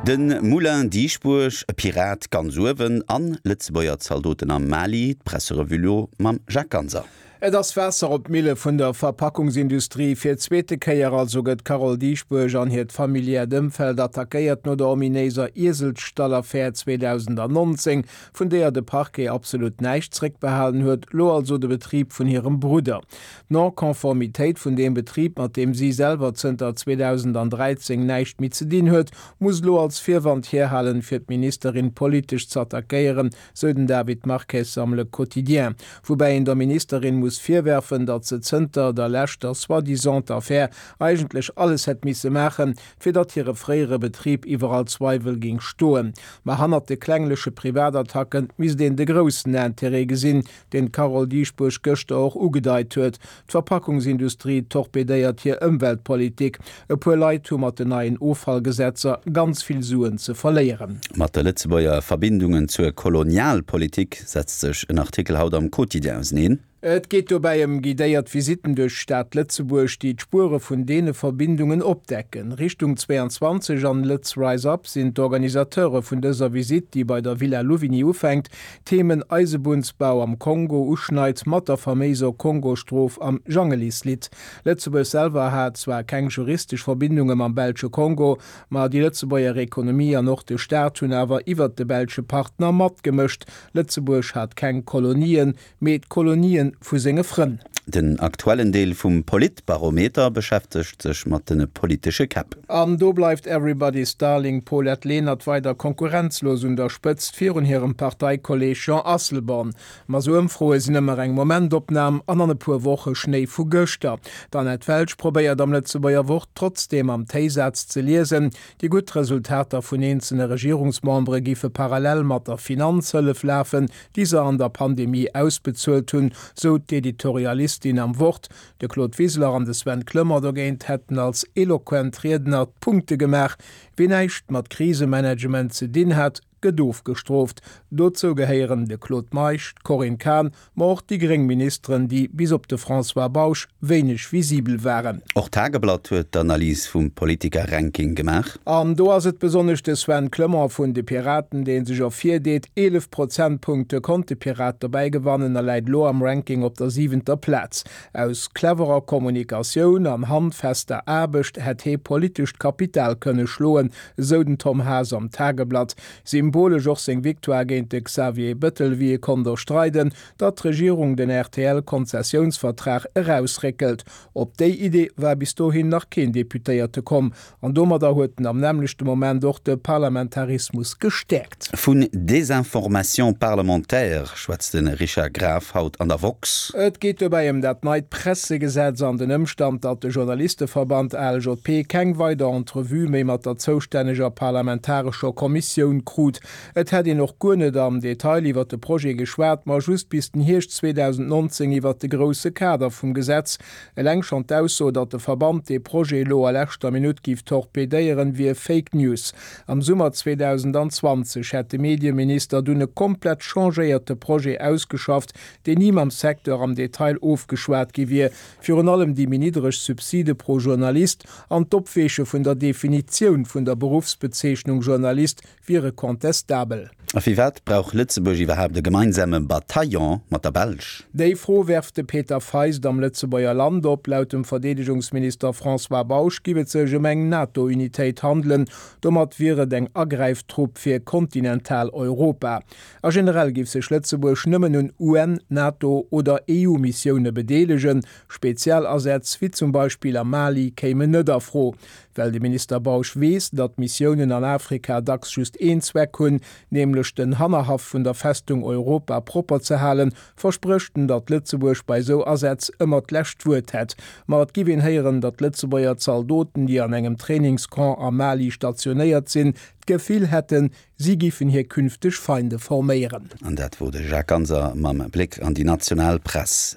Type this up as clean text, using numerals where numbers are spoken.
De Moulin Dieschbourg, e Pirat ganz uewen an Lëtzebuerger Zaldoten am Mali, d'Presserevue lo mam Jacques Ganser. Et ass Waasser op d'Mille vun der Verpackungsindustrie. Fir d'zweete Kéier also gëtt d'Carole Dieschbourg an hiert familiäert Ëmfeld attackéiert no der ominéiser Ieselstall-Affär 2019, vun deeër de Parquet absolut näischt zréckbehalen huet, lo also de Betrib vun hirem Brudder. D'Non-Conformitéit vun deem Betrib, mat deem si selwer zënter 2013 näischt méi ze dinn huet, muss elo als Virwand hierhalen, fir d'Ministerin politesch ze attackéieren, sou den David Marques am Le Quotidien. Woubäi een der Ministerin muss virwerfen, datt se zënter der leschter soi-disant Affär eigentlech alles hätt misse maachen, fir datt hire fréiere Betrib iwwer all Zweiwel ging stoen. Ma hannert de klengleche Privatattacken misst een de groussen Intérêt gesinn, deen d'Carole Dieschbourg gëschter och ugedeit huet, D'Verpackungsindustrie torpedéiert hir Ëmweltpolitik. E puer Leit hu mat den neien Offallgesetzer ganz vill Suen ze verléieren. Mat de Lëtzebuerger Verbindungen zur Kolonialpolitik setzt sech en Artikel haut am Quotidien auseneen. Et geet dobäi ëm guidéiert Visitten duerch d'Stad Lëtzebuerg, déi d'Spuere vun deene Verbindungen opdecken. Richtung 22 an Lëtz Rise Up sinn d'Organisateure vun dëser Visitt, déi bei der Villa Louvigny ufänkt, Themen Eisebunnsbau am Kongo uschneit mat der faméiser Kongostrof am Jangelislidd. Lëtzebuerg selwer hat zwar keng juristesch Verbindunge mam belsche Kongo, ma déi Lëtzebuerger Ekonomie an och de Staat hunn awer iwwert de belsche Partner matgemëscht. Lëtzebuerg hat keng Kolonien, mee d'Kolonien vu senge Frënn. Den aktuellen Deel vum Politbarometer beschäftegt sech mat de politesche Käpp. An do bleift Everybody's Darling Paulette Lenert weider konkurrenzlos un der Spëtzt virun hirem Parteikolleeg Jean Asselborn. Ma sou Ëmfroe sinn ëmmer eng Momentopnam an an e puer Woche Schnéi vu gëschter. D'Annette Welsch probéiert am Lëtzebuerger Wort trotzdeem am Téisaz ze liesen, déi gutt Resultater vun eenzelne Regierungsmembere géife parallel mat der Finanzhëllef lafen, déi se an der Pandemie ausbezuelt hunn, sou d'Editorialistin am Wort. De Claude Wiseler an de Sven Clement dogéint hätten als eloquent Riedner d'Punkte gemaach. Wien näischt mat Krisemanagement ze dinn hat, gëtt ofgestrooft. Dozou gehéieren de Claude Meisch, d'Corinne Cahen, ma och déi gréng Ministeren, déi bis op de François Bausch wéineg visibel waren. Och d'Tageblatt huet d'Analys vum Politiker-Ranking gemaach. An do ass et besonnesch de Sven Clement vun de Piraten, dee sech ervirdeet. 11 Prozentpunkte konnt de Pirat dobäi gewannen a läit elo am Ranking op der siwenter Plaz. Aus cleverer Kommunikatioun an handfester Aarbecht hätt hee politescht Kapital kënne schloen, esou den Tom Haas am Tageblatt. Symbolesch och seng Victoire géint de Xavier Bëttel, wéi e konnt erstreiden, datt d'Regierung den RTL-Konzessiounsvertrag erausréckelt. Op déi Idee war bis dohin nach keen Deputéierte komm. An domadder huet en am nämmlechte Moment och de Parlamentarismus gestäerkt. Vun Désinformation parlementaire schwätzt de Richard Graf haut an der woxx. Et geet dobäi ëm dat neit Pressegesetz an den Ëmstand, datt de Journalisteverband ALJP keng weider Entrevue méi mat der zoustänneger parlamentarescher Kommissioun krut. Et hätt een och guer net am Detail iwwer de Projet geschwat, ma just bis den Hierscht 2019 iwwer de grousse Kader vum Gesetz. Eleng schonn d'Ausso, datt de Verband dee Projet elo a leschter Minutt giff torpedéieren, wier Fake News. Am Summer 2020 hätt de Medieminister dunn e komplett changéierte Projet ausgeschafft, deen ni mam Secteur am Detail ofgeschwat gi wier. Virun allem déi méi niddreg Subside pro Journalist an d'Opweeche vun der Definitioun vun der Beruffsbezeechnung Journalist wiere contestabel. A firwat brauch Lëtzebuerg iwwerhaapt e gemeinsame Bataillon mat der Belsch? Déi Fro werft de Peter Feist am Lëtzebuerger Land op. Laut dem Verdeedegungsminister François Bausch giff et sech ëm eng NATO-Unitéit handelen. Domat wier et eng Agräiftrupp fir kontinental Europa. A generell giff sech Lëtzebuerg nëmmen un UN-, NATO oder EU-Missioune bedeelegen. Spezialasätz, wéi zum Beispill am Mali, kéimen net a Fro. Well de Minister Bausch weess, datt Missiounen an Afrika dacks just een Zweck hunn, nämlech den Hannerhaff vun der Festung Europa propper ze halen, versprécht en, datt Lëtzebuerg bei esou Asätz ëmmer d'lescht Wuert hätt. Ma et giff een héieren, datt Lëtzebuerger Zaldoten, déi an engem Trainingscamp am Mali stationéiert sinn, d'Gefill hätten, si giffen hir künfteg Feinde forméieren. An dat wor de Jacques Ganser mam Bléck an déi national Press.